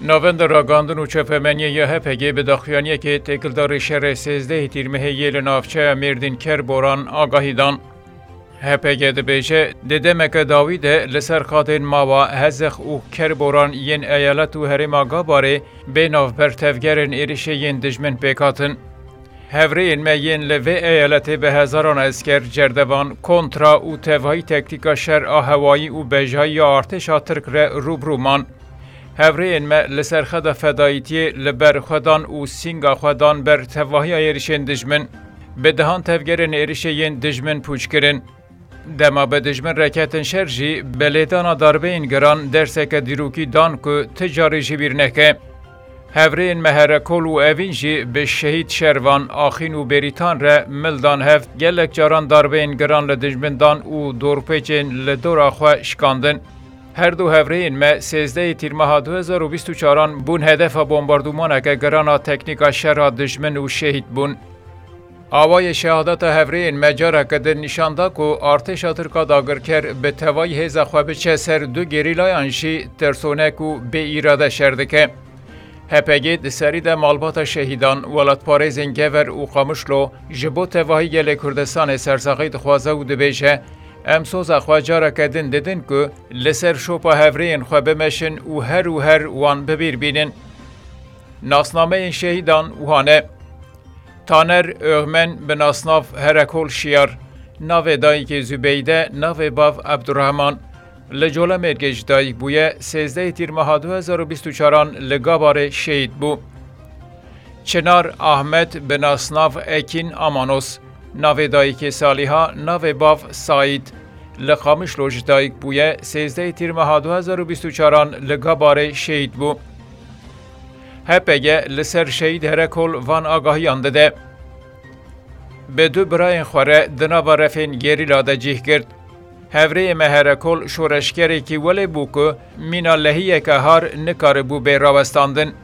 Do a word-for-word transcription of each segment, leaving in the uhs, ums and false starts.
Navenda Ragandin û Çapemeniyê ya H P G bi daxuyaniyekê têkildarî şerê sêzdehê Tîrmehê yê li navçeya Mêrdîn Kerboran agahî dan. H P G dibêje, di demeke dawî de li ser qadên Mawa, Hezix û Kerboran yên eyalet û herêma Gabarê bê navber tevgerên êrişê yên dijmin pêk hatin. Hevrêyên me yên li vê eyaletê bi hezaran esker, cerdevan, kontra û tevahî tektîka şer a hewayî û bejayî ya artêşa Tirk re rû bi rû man. Hevrêyên me li ser xeta fedayîtiyê li ber xwe dan û sînga xwe dan ber tevahiya êrişên dijmin. Bi dehan tevgerên êrişê yên dijmin pûç kirin. Dema bi dijmin re ketin şer jî, bi lêdana darbeyên giran derseke dîrokî dan ku ti carî ji bîr neke. Hevrêyên me Herekol û Evîn jî bi şehîd Şervan, Axîn û Bêrîtan re mil dan hev, gelek caran darbeyên giran li dijmin dan û dorpêçên li dora xwe şikandin. Her du hevrêyên me sêzdehê Tîrmeha du hezar û bîst û çaran bûn hedefa bombardûmaneke giran a teknîka şer a dijmin û şehîd bûn. Awayê şehadeta hevrêyên me careke din nîşan da ku artêşa Tirk a dagirker bi tevayî hêza xwe biçe ser du gerîlayan jî tirsonek û bê îrade şer dike. H P G di serî de malbata şehîdan, welatparêzên Gever û Qamişlo ji bo tevahî gelê Kurdistanê sersaxî dixwaze û dibêje, em soza xwe careke din didin ku li ser şopa hevrêyên xwe bimeşin û her û her wan bi bîr bînin. Nasnameyên şehîdan wiha ne. Taner Öğmen bi nasnav Herekol Şiyar, navê dayikê Zübeyde, navê bav Abdurrahman. Li Colemêrgê ji dayik bûye, sêzdehê Tîrmeha du hezar û bîst û çaran li Gabarê şehîd bû. Çinar Ahmet bi nasnav Ekîn Amanos, navê dayikê Saliha, navê bav Saîd. Li Qamişlo ji dayik bûye, sêzdehê Tîrmeha du hezar û bîst û çaran li Gabarê şehîd bû. H P G li ser şehîd Herekol van agahiyan dide. Bi du birayên xwe re di nava refên gerîla de cih girt. Hevrêyê me Herekol şoreşgerekî welê bû ku mîna lehiyeke har nikaribû bê rawestandin.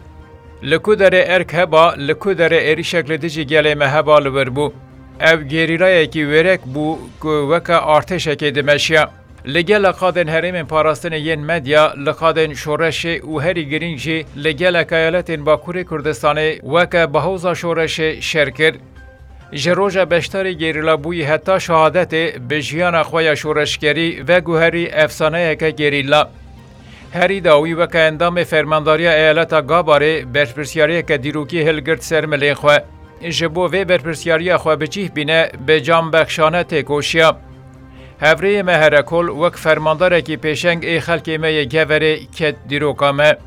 Li ku derê erk heba, li ku derê êrişek li dijî gelê me heba li wir bû. Ew gerîlayekî wêrek bû ku weke artêşekê dimeşiya. Li gela qadên herêmên parastinê yên medya, li qadên şoreşê û herî girîng jî li gelek eyaletên Bakurê Kurdistanê weke bahoza şoreşê şer kir. Ji roja beşdarî gerîla bûyî heta şehadetê bi jiyana xwe ya şoreşgerî veguherî efsaneyeke gerîla. Herî dawî weke endamê fermandariya eyaleta Gabarê berpirsiyariyeke dîrokî hilgirt ser milên xwe. Ji bo vê berpirsiyariya xwe bi cih bîne, bi canbexşane têkoşiya. Hevrêyê me Herekol wek fermandarekî pêşeng ê xelkê me yê Geverê ket dîroka me.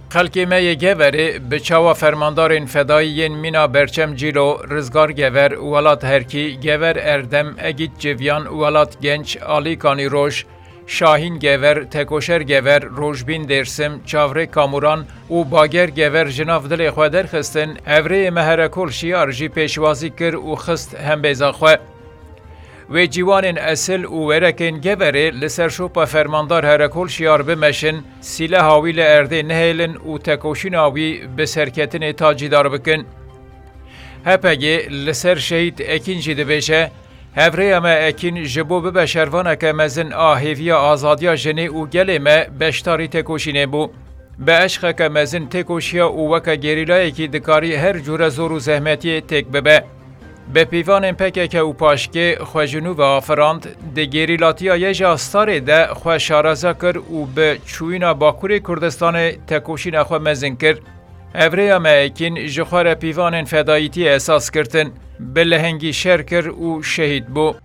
Xelkê me yê Geverê bi çawa fermandarên fedayî yên mîna Berçem Cîlo, Rizgar Gever, Welat Herkî, Gever Erdem, Egît Civyan, Welat Genç, Alî Kanîroj, Şahîn Gever, Tekoşer Gever, Rojbîn Dêrsim, Çavrê Kamuran û Bager Gever ji nav dilê xwe derxistin, hevrêyê me Herekol Şiyar jî pêşwazî kir û xist hembêza xwe. Wê ciwanên esil û werekên Geverê li ser şopa fermandar Herekol Şiyar bimeşin, sîleha wî li erdê nehêlin û tekoşîna wî bi serketinê tacîdar bikin. H P G li ser şehîd Ekîn jî dibêje, hevrêya me Ekîn ji bo bibe şervaneke mezin a hêviya azadiya jinê û gelê me beşdarî têkoşînê bû. Bi eşqeke mezin têkoşiya û weke gerîlayekî dikarî her cûre zor û zehmetiyê têk bibe. Bi pîvanên P K K û paşkê xwe ji nû ve afirand, di gerîlatiya YJA Starê de xwe şareza kir û bi çûyîna Bakurê Kurdistanê tekoşîna xwe mezin kir. Hevrêya me Ekîn ji xwe re pîvanên fedayîtiyê esas girtin, bi lehengî şer kir û şehîd bû.